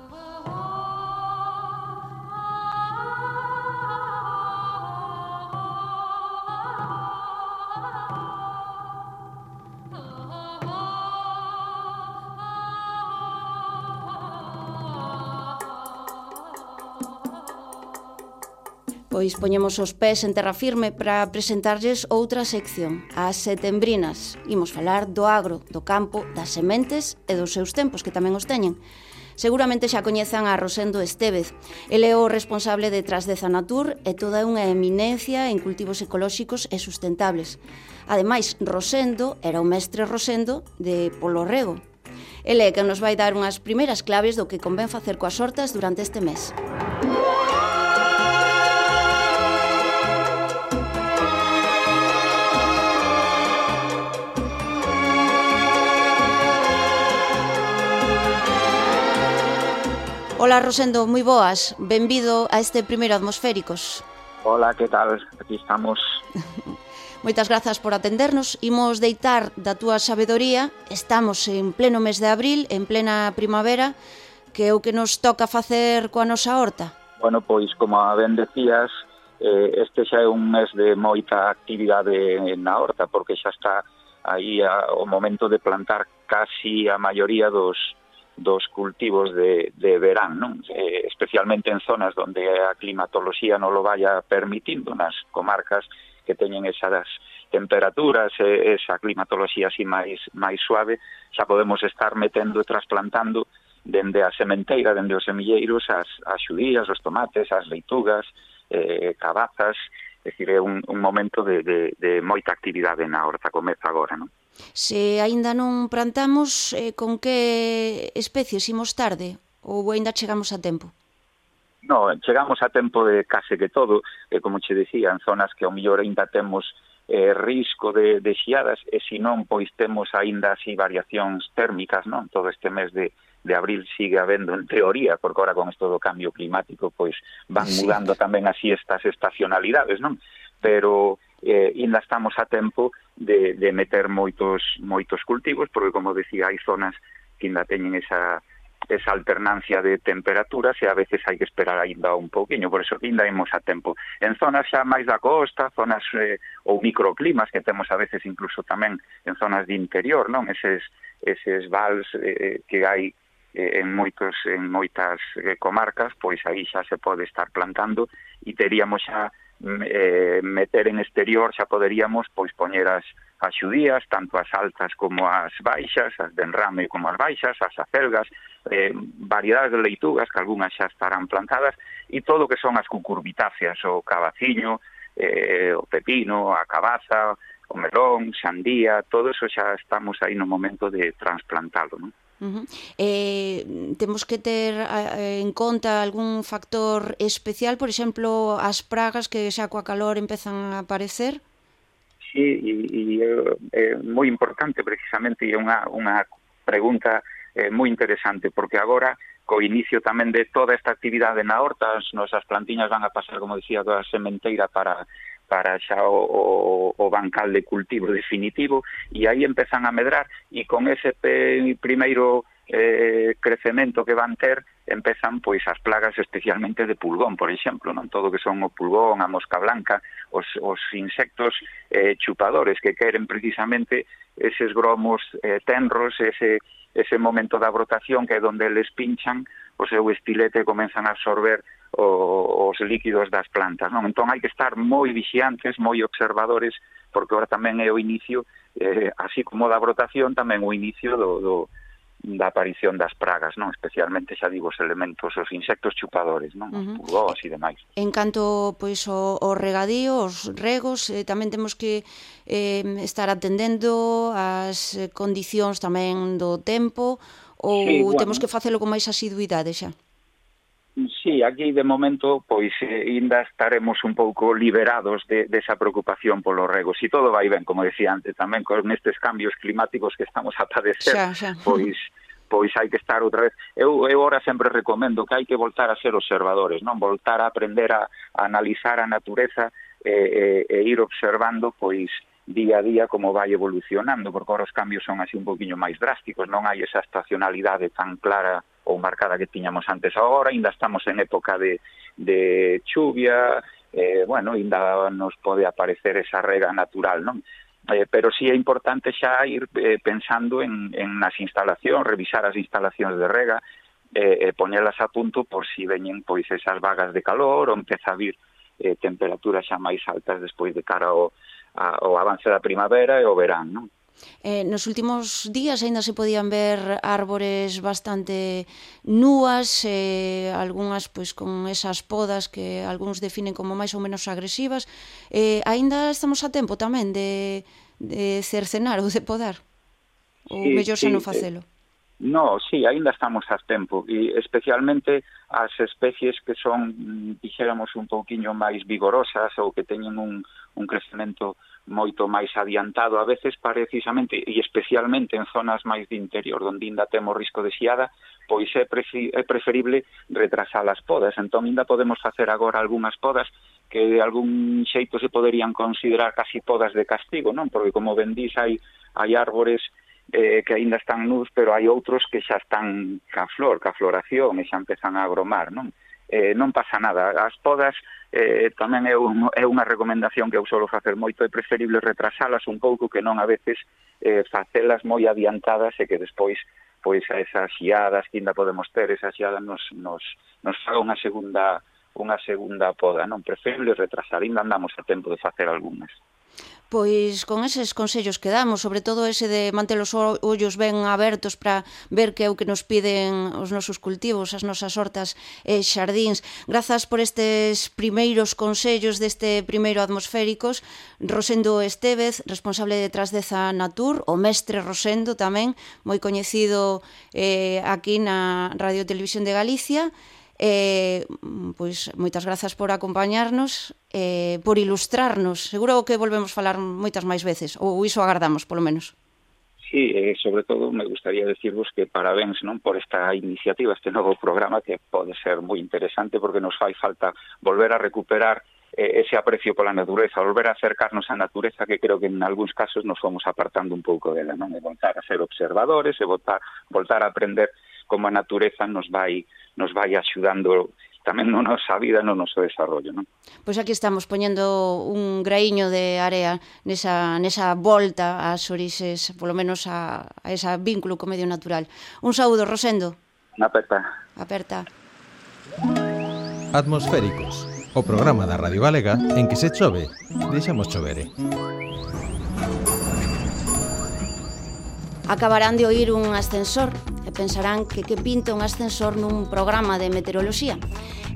Pois poñemos os pés en terra firme para presentarlles outra sección, as setembrinas. Imos falar do agro, do campo, das sementes e dos seus tempos, que tamén os teñen. Seguramente xa coñezan a Rosendo Estévez. Ele é o responsable detrás de Zanatur e toda unha eminencia en cultivos ecolóxicos e sustentables. Ademais, Rosendo era o mestre Rosendo de Polo Rego. Ele é que nos vai dar unhas primeiras claves do que convén facer coas hortas durante este mes. Ola, Rosendo, moi boas. Benvido a este primeiro Atmosféricos. Hola, que tal? Aquí estamos. Moitas grazas por atendernos. Imos deitar da túa sabedoría. Estamos en pleno mes de abril, en plena primavera, que é o que nos toca facer coa nosa horta. Bueno, pois, como ben decías, este xa é un mes de moita actividade na horta, porque xa está aí o momento de plantar casi a maioría dos cultivos de verán, non? Especialmente en zonas onde a climatoloxía non lo vaya permitindo, nas comarcas que teñen esas temperaturas e esa climatoloxía así máis suave, xa podemos estar metendo e trasplantando dende a sementeira, dende os semilleiros, as xudías, os tomates, as leitugas, cabazas. É dicir, é un momento de moita actividade na horta, comeza agora, non? Se aínda non plantamos, con que especies imos tarde? Ou aínda chegamos a tempo? No, chegamos a tempo de case que todo, como che decía, en zonas que ao mellor aínda temos risco de xiadas, e se non, pois temos aínda así variacións térmicas, non? Todo este mes de abril sigue habendo, en teoría, porque ahora con isto do cambio climático, pois van mudando tamén así estas estacionalidades, non? Pero ainda estamos a tempo de meter moitos cultivos, porque, como decía, hai zonas que ainda teñen esa alternancia de temperaturas e a veces hai que esperar ainda un pouquiño, por eso ainda imos a tempo. En zonas xa máis da costa, zonas ou microclimas que temos a veces incluso tamén en zonas de interior, non? Eses vals que hai en moitas comarcas, pois aí xa se pode estar plantando e teríamos xa meter en exterior, xa poderíamos pois poñer as xudías, tanto as altas como as baixas, as de enrame como as baixas, as acelgas, variedades de leitugas, que algunhas xa estarán plantadas, e todo o que son as cucurbitáceas, o cabaciño, o pepino, a cabaza, o melón, sandía, todo eso xa estamos aí no momento de trasplantalo, non? Temos que ter en conta algún factor especial, por exemplo, as pragas que xa coa calor empezan a aparecer? Sí, e é moi importante precisamente, e é unha pregunta moi interesante, porque agora, co inicio tamén de toda esta actividade na horta, as nosas plantiñas van a pasar, como dicía, da sementeira para xa o bancal de cultivo definitivo, e aí empezan a medrar, e con ese primeiro crecemento que van ter, empezan pois as plagas especialmente de pulgón, por exemplo, non? Todo que son o pulgón, a mosca blanca, os insectos chupadores que queren precisamente eses gromos tenros, ese momento da brotación que é onde eles pinchan o seu estilete e comenzan a absorber os líquidos das plantas, non? Entón hai que estar moi vixiantes, moi observadores, porque ahora tamén é o inicio, así como da brotación, tamén o inicio da aparición das pragas, non? Especialmente, xa digo, os elementos, os insectos chupadores, non? Os pulgóns e demais. En canto pois o regadío, os regos, tamén temos que estar atendendo as condicións tamén do tempo, ou sí, bueno, temos que facelo con máis asiduidade xa? Sí, aquí de momento pois ainda estaremos un pouco liberados desa preocupación polo rego. Si todo vai ben, como decía antes, tamén con estes cambios climáticos que estamos a padecer, pois hai que estar outra vez. Eu ahora sempre recomendo que hai que voltar a ser observadores, non? Voltar a aprender a analizar a natureza e ir observando pois día a día como vai evolucionando, porque ahora os cambios son así un poquinho máis drásticos, non hai esa estacionalidade tan clara ou marcada que tiñamos antes. Agora ainda estamos en época de chuvia, bueno, ainda nos pode aparecer esa rega natural, non? Pero sí é importante xa ir pensando en nas instalacións, revisar as instalacións de rega, poñelas a punto por si veñen pois esas vagas de calor ou empeza a vir temperaturas xa máis altas despois de cara ao avance da primavera e o verán, non? Nos últimos días aínda se podían ver árbores bastante núas, algunhas pois con esas podas que algúns definen como máis ou menos agresivas. Aínda estamos a tempo tamén de cercenar ou de podar? Ou mellor xa non facelo? No, sí, aínda estamos a tempo, e especialmente as especies que son, dixéramos, un pouquiño máis vigorosas ou que teñen un crecemento moito máis adiantado, a veces precisamente, e especialmente en zonas máis de interior, onde ainda temos risco de xiada, pois é preferible retrasar as podas. Entón, ainda podemos facer agora algunhas podas que de algún xeito se poderían considerar casi podas de castigo, non? Porque, como ben dís, hai árbores que aínda están nus, pero hai outros que xa están ca floración, e xa empezan a agromar, non? Non pasa nada. As podas tamén é unha recomendación que eu solo facer moito, é preferible retrasalas un pouco que non a veces facelas moi adiantadas e que despois pois a esas xiadas que ainda podemos ter, esas xiadas nos faga unha segunda poda, non? Preferible retrasar, ainda andamos a tempo de facer algunhas. Pois con eses consellos que damos, sobre todo ese de manter os ollos ben abertos para ver que é o que nos piden os nosos cultivos, as nosas hortas e xardíns. Grazas por estes primeiros consellos deste primeiro Atmosféricos. Rosendo Estévez, responsable de Trasdeza Natur, o mestre Rosendo tamén, moi coñecido aquí na Radio Televisión de Galicia. Pois moitas grazas por acompañarnos, por ilustrarnos. Seguro que volvemos falar moitas máis veces, ou iso agardamos, polo menos. Sí, sobre todo me gustaría decirvos que parabéns, non, por esta iniciativa, este novo programa que pode ser moi interesante porque nos fai falta volver a recuperar ese aprecio pola natureza, volver a acercarnos á natureza, que creo que en algúns casos nos fomos apartando un pouco dela, non? E voltar a ser observadores e voltar a aprender como a natureza nos vai axudando tamén na nosa vida, no noso desarrollo, non? Pois aquí estamos poñendo un graíño de area nesa volta ás orixes, polo menos a ese vínculo co medio natural. Un saúdo, Rosendo. Aperta. Atmosféricos, o programa da Radio Galega en que se chove, deixamos chovere. Acabarán de oír un ascensor e pensarán que pinta un ascensor nun programa de meteoroloxía.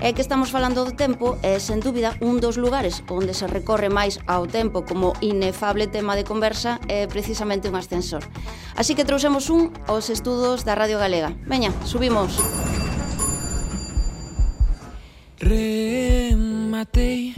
É que estamos falando do tempo e, sen dúbida, un dos lugares onde se recorre máis ao tempo como inefable tema de conversa é precisamente un ascensor. Así que trouxemos aos estudos da Radio Galega. Veña, subimos. Rematei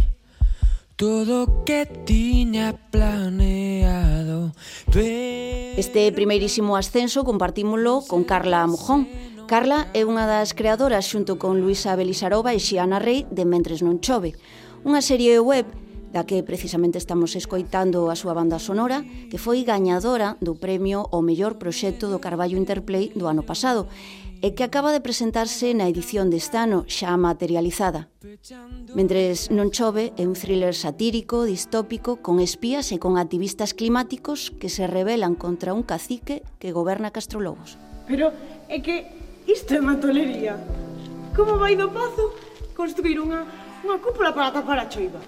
todo que tiña planeado. Este primeirísimo ascenso compartímolo con Carla Mojón. Carla é unha das creadoras xunto con Luisa Belisarova e Xiana Rei de Mentres non chove, unha serie web da que precisamente estamos escoitando a súa banda sonora, que foi gañadora do premio ao mellor proxecto do Carballo Interplay do ano pasado e que acaba de presentarse na edición deste ano, xa materializada. Mentres non chove é un thriller satírico, distópico, con espías e con activistas climáticos que se rebelan contra un cacique que goberna Castrolobos. Pero é que isto é matolería. Como vai do Pazo construir unha cúpula para tapar a choiva?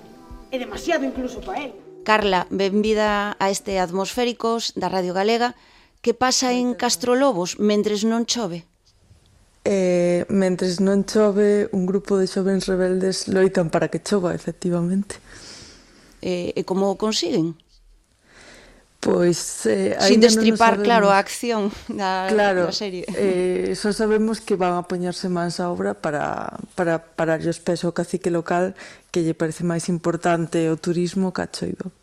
É demasiado incluso para él. Carla, benvida a este Atmosféricos da Radio Galega. Que pasa en Castrolobos mentres non chove? Mentres non chove, un grupo de xovens rebeldes loitan para que chova, efectivamente. E como o consiguen? Pois sin destripar, claro, a acción da serie. Só sabemos que van a poñerse mans a obra para os pés ao cacique local, que lle parece máis importante o turismo que a choiva.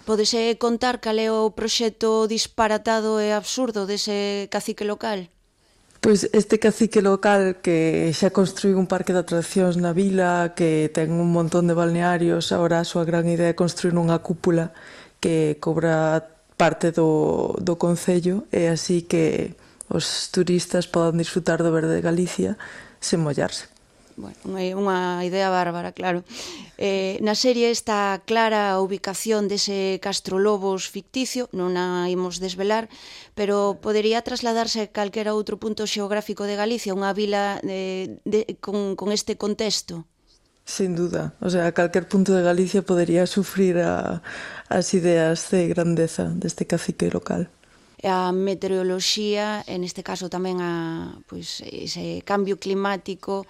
Podese contar cal é o proxecto disparatado e absurdo dese cacique local? Pois este cacique local que xa construíu un parque de atraccións na vila, que ten un montón de balnearios, agora a súa gran idea é construir unha cúpula que cobra parte do concello e así que os turistas podan disfrutar do verde de Galicia sen mollarse. Bueno, é unha idea bárbara, claro. Na serie está clara a ubicación dese Castrolobos ficticio, non a imos desvelar, pero podería trasladarse a calquera outro punto xeográfico de Galicia, unha vila con este contexto? Sin duda, o sea, calquer punto de Galicia podería sufrir as ideas de grandeza deste cacique local. A meteoroloxía, en este caso tamén ese cambio climático,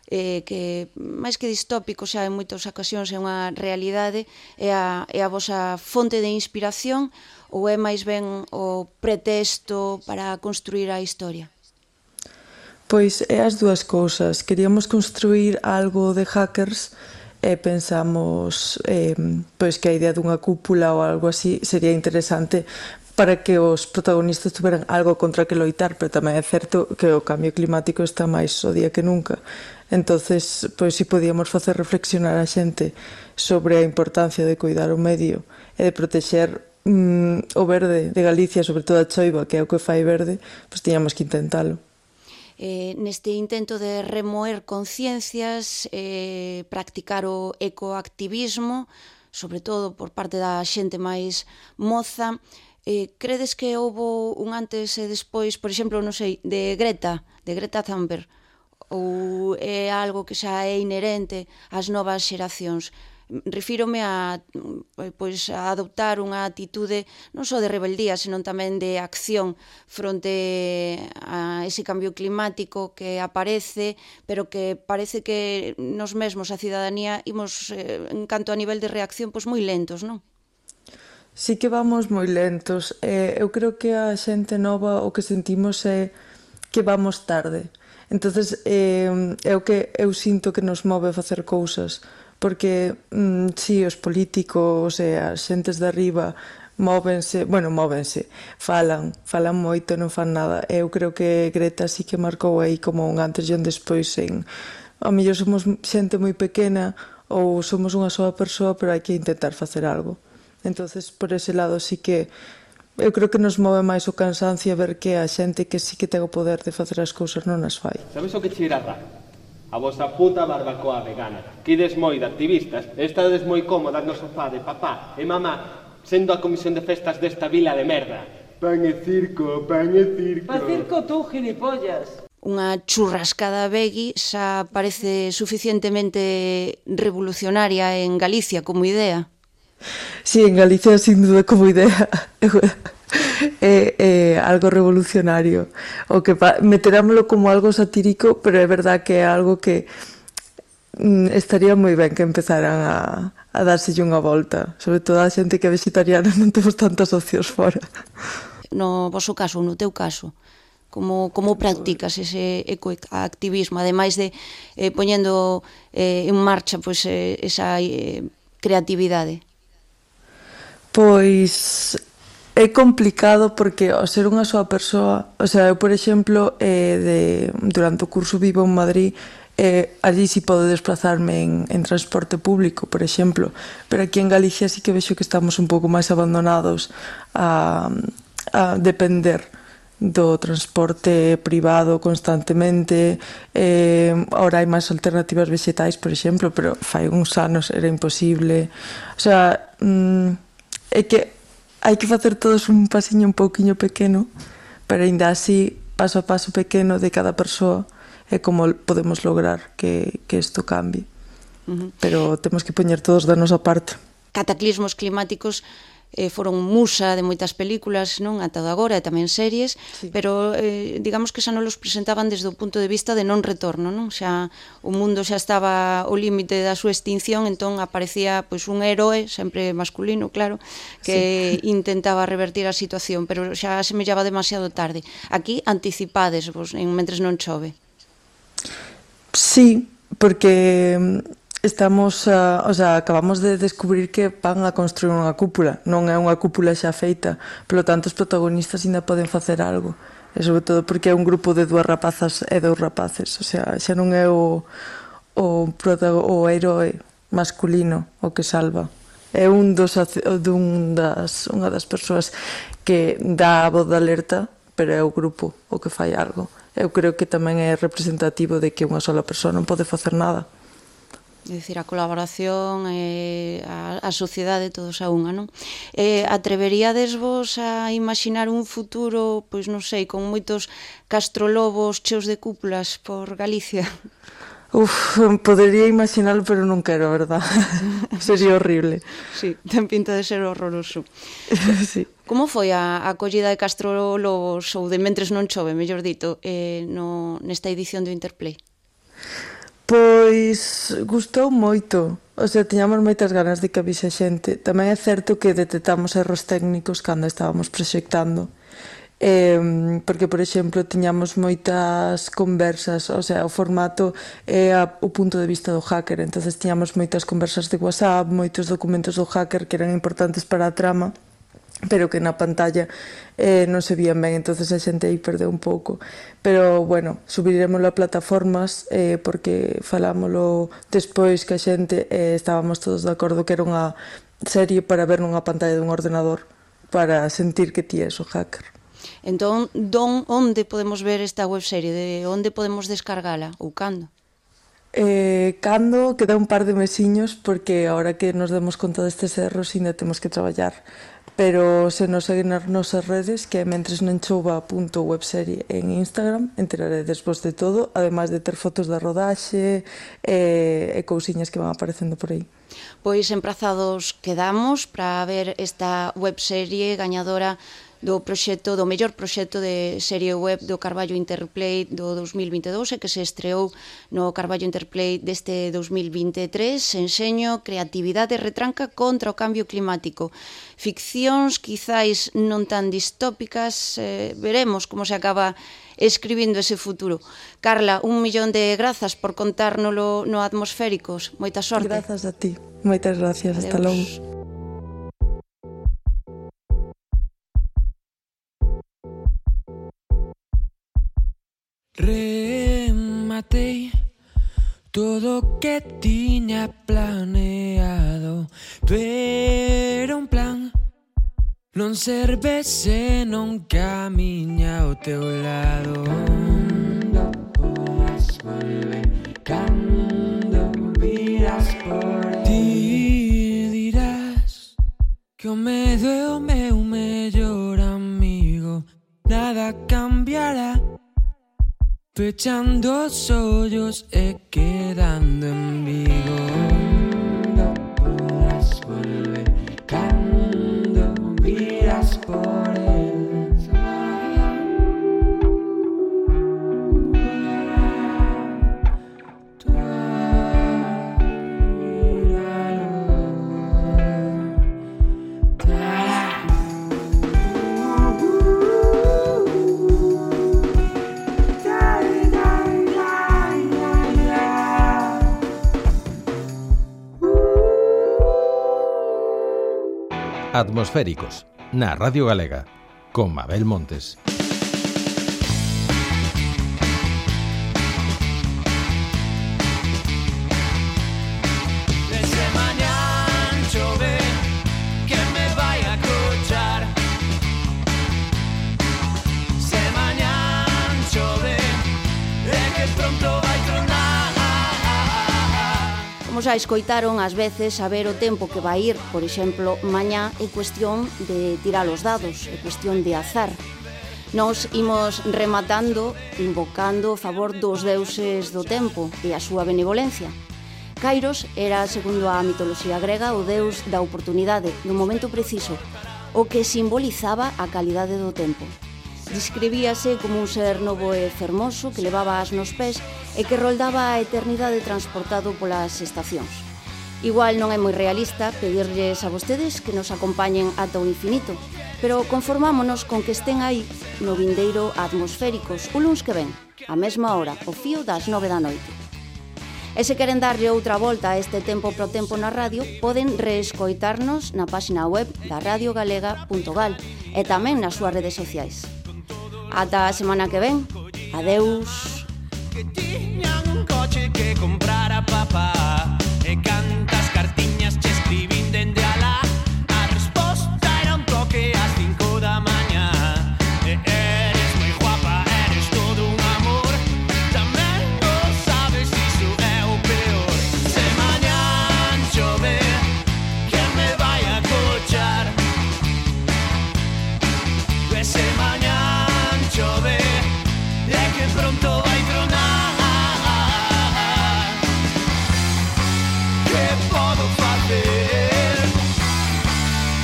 que máis que distópico xa en moitas ocasións é unha realidade, é a vosa fonte de inspiración ou é máis ben o pretexto para construir a historia? Pois é as dúas cousas. Queríamos construir algo de hackers e pensamos pois que a idea dunha cúpula ou algo así sería interesante para que os protagonistas tuveran algo contra que loitar, pero tamén é certo que o cambio climático está máis o día que nunca. Entonces, pois si podíamos facer reflexionar a xente sobre a importancia de cuidar o medio e de protexer o verde de Galicia, sobre todo a choiva, que é o que fai verde, pois tiñamos que intentalo. Neste intento de remoer conciencias, practicar o ecoactivismo, sobre todo por parte da xente máis moza, credes que houbo un antes e despois, por exemplo, non sei, de Greta Thunberg, ou é algo que xa é inherente ás novas xeracións? Refírome a adoptar unha atitude non só de rebeldía, senón tamén de acción fronte a ese cambio climático que aparece, pero que parece que nos mesmos, a cidadanía, imos, en canto a nivel de reacción, moi lentos, non? Sí que vamos moi lentos. Eu creo que a xente nova o que sentimos é que vamos tarde. Entonces, é o que eu sinto que nos move a facer cousas, porque, si, os políticos e as xentes de arriba móvense, falan moito e non fan nada. Eu creo que Greta sí que marcou aí como un antes e un despois a mellor somos xente moi pequena ou somos unha soa persoa, pero hai que intentar facer algo. Entonces, por ese lado sí que eu creo que nos move máis o cansancio a ver que a xente que sí que ten o poder de facer as cousas non as fai. Sabes o que cheira raro? A vosa puta barbacoa vegana. Quides moi de activistas, estades moi cómodas no sofá de papá e mamá sendo a comisión de festas desta vila de merda. Pan e circo, pan e circo. Pa circo tú, gilipollas. Unha churrascada veggie xa parece suficientemente revolucionaria en Galicia como idea. Sí, en Galicia sin duda como idea é algo revolucionario, o que meterámoslo como algo satírico, pero é verdad que é algo que estaría moi ben que empezaran a dárselle unha volta, sobre todo a xente que é vegetariana, non temos tantas opcións fora. No voso caso, no teu caso, como practicas ese ecoactivismo, ademais de poñendo en marcha esa creatividade? Pois é complicado porque ao ser unha soa persoa, eu, por exemplo, durante o curso vivo en Madrid, allí si podo desplazarme en transporte público, por exemplo, pero aquí en Galicia sí que vexo que estamos un pouco máis abandonados a depender do transporte privado constantemente. Ahora hai máis alternativas vegetais, por exemplo, pero fai uns anos era imposible. É que hai que facer todos un pasiño un pouquiño pequeno, pero ainda así, paso a paso pequeno de cada persoa, é como podemos lograr que isto cambie. Pero temos que poñer todos da nosa parte. Cataclismos climáticos foron musa de moitas películas, non, ata agora, e tamén series, sí. Pero digamos que xa non los presentaban desde o punto de vista de non retorno, non? Xa o mundo xa estaba ao límite da súa extinción, entón aparecía un heroe, sempre masculino, claro, que sí, intentaba revertir a situación, pero xa semellaba demasiado tarde. Aquí anticipades vos, mentres non chove. Sí, porque acabamos de descubrir que van a construir unha cúpula, non é unha cúpula xa feita, polo tanto os protagonistas ainda poden facer algo, e sobre todo porque é un grupo de 2 rapazas e 2 rapaces, xa non é o heroe masculino o que salva, é unha das persoas que dá a voz de alerta, pero é o grupo o que fai algo. Eu creo que tamén é representativo de que unha sola persoa non pode facer nada. É dicir, a colaboración, a sociedade, todos a unha, non? Atreveríades vos a imaginar un futuro, pois non sei, con moitos castrolobos cheos de cúpulas por Galicia? Podería imaginarlo, pero non quero, a verdad? Sería horrible. Sí, ten pinta de ser horroroso. Sí. Como foi a acollida de castrolobos, ou de mentres non chove, mellor dito, nesta edición do Interplay? Pois gustou moito, tiñamos moitas ganas de que avise a xente. Tamén é certo que detectamos erros técnicos cando estábamos proxectando, porque, por exemplo, tiñamos moitas conversas, o formato é o punto de vista do hacker, entonces tiñamos moitas conversas de WhatsApp, moitos documentos do hacker que eran importantes para a trama, pero que na pantalla non se vían ben, entonces a xente aí perdeu un pouco. Pero, bueno, subiremoslo a plataformas, porque falámoslo despois que a xente estábamos todos de acordo que era unha serie para ver nunha pantalla dun ordenador, para sentir que ti és o hacker. Entón, onde podemos ver esta webserie? De onde podemos descargala? Ou cando? Cando queda un par de mesiños, porque ahora que nos demos conta destes erros ainda temos que traballar, pero se nos seguen nas nosas redes, que é mentresnenchouva.webserie en Instagram, enteraredes vos de todo, ademais de ter fotos da rodaxe e cousiñas que van aparecendo por aí. Pois emprazados quedamos para ver esta webserie gañadora do proxecto, do mellor proxecto de serie web do Carballo Interplay do 2022 e que se estreou no Carballo Interplay deste 2023. Enseño, creatividade retranca contra o cambio climático. Ficcións quizáis non tan distópicas, veremos como se acaba escribindo ese futuro. Carla, 1.000.000 de grazas por contárnolo no Atmosféricos. Moita sorte. Grazas a ti. Moitas gracias. Hasta logo. Rematei todo o que tiña planeado, pero un plan non serve se non camiña ao teu lado. Cando podas volver, cando virás por ti, dirás que o medo é o meu mellor amigo. Nada cambiará, pechando os ollos e quedando en Vigo. Cando podas volver, cando virás por el Atmosféricos, na Radio Galega, con Mabel Montes. Como xa escoitaron, ás veces saber o tempo que vai ir, por exemplo, mañá, é cuestión de tirar os dados, é cuestión de azar. Nos imos rematando, invocando o favor dos deuses do tempo e a súa benevolencia. Kairos era, segundo a mitoloxía grega, o deus da oportunidade, do momento preciso, o que simbolizaba a calidade do tempo. Describíase como un ser novo e fermoso que levaba as nos pés e que roldaba a eternidade transportado polas estacións. Igual non é moi realista pedirlles a vostedes que nos acompañen ata o infinito, pero conformámonos con que estén aí no vindeiro Atmosféricos o luns que ven, a mesma hora, o fío das 9 da noite. E se queren darlle outra volta a este tempo pro tempo na radio, poden reescoitarnos na página web da radiogalega.gal e tamén nas súas redes sociais. Ata a semana que ven. Adeus. Que tiñan un coche que comprar a papá e cantas cartiñas che escribín dende alá. A resposta era un toque ás 5 da mañá. Eres moi guapa, eres todo un amor. Tamén o sabes, iso é o peor. Se mañán chove, que me vai a cochar. E se mañán chove, é que pronto vai tronar. Que podo facer?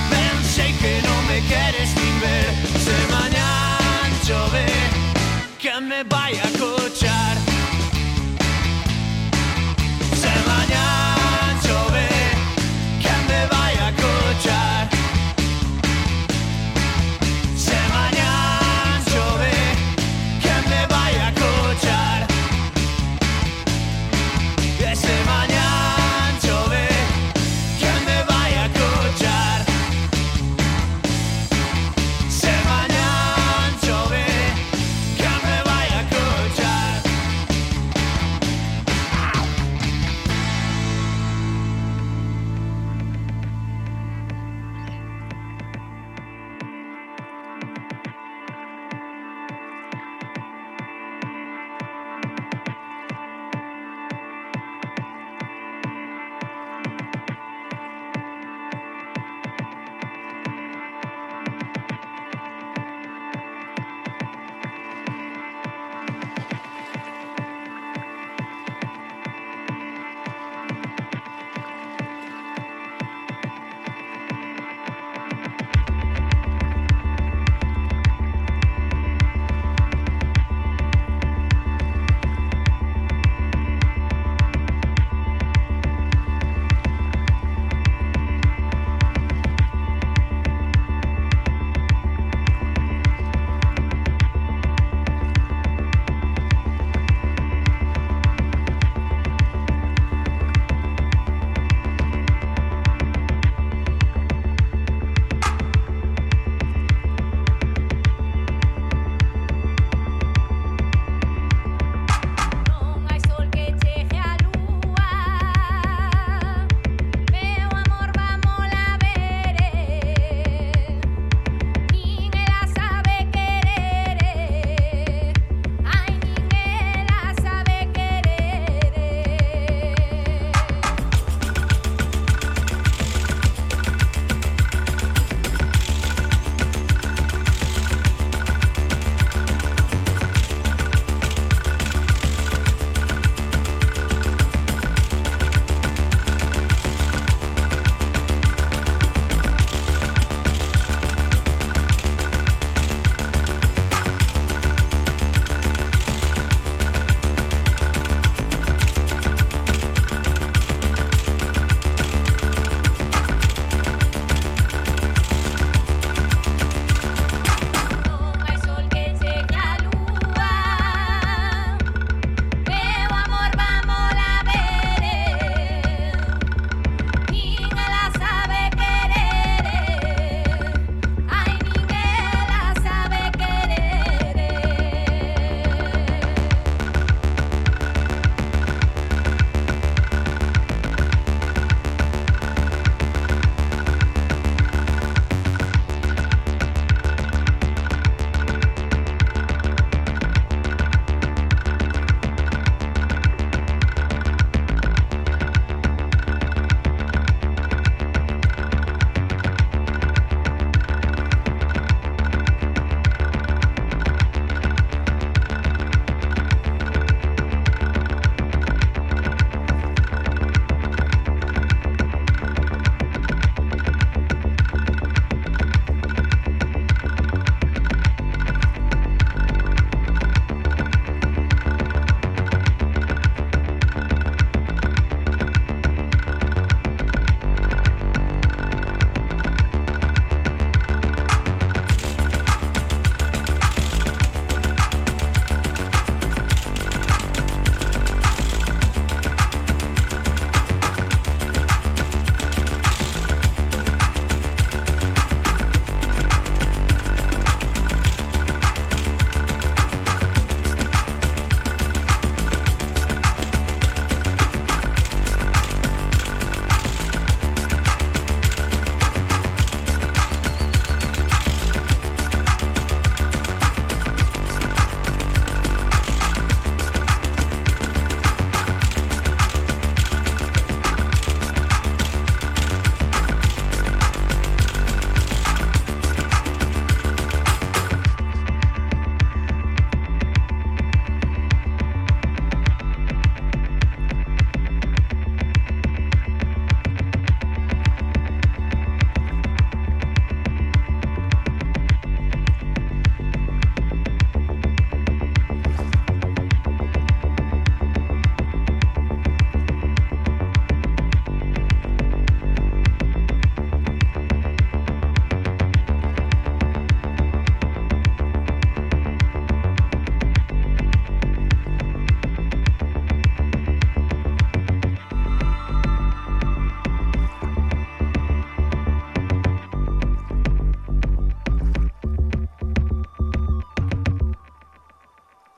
Ben sei que non me queres nin ver. Se mañán chove, que me vai a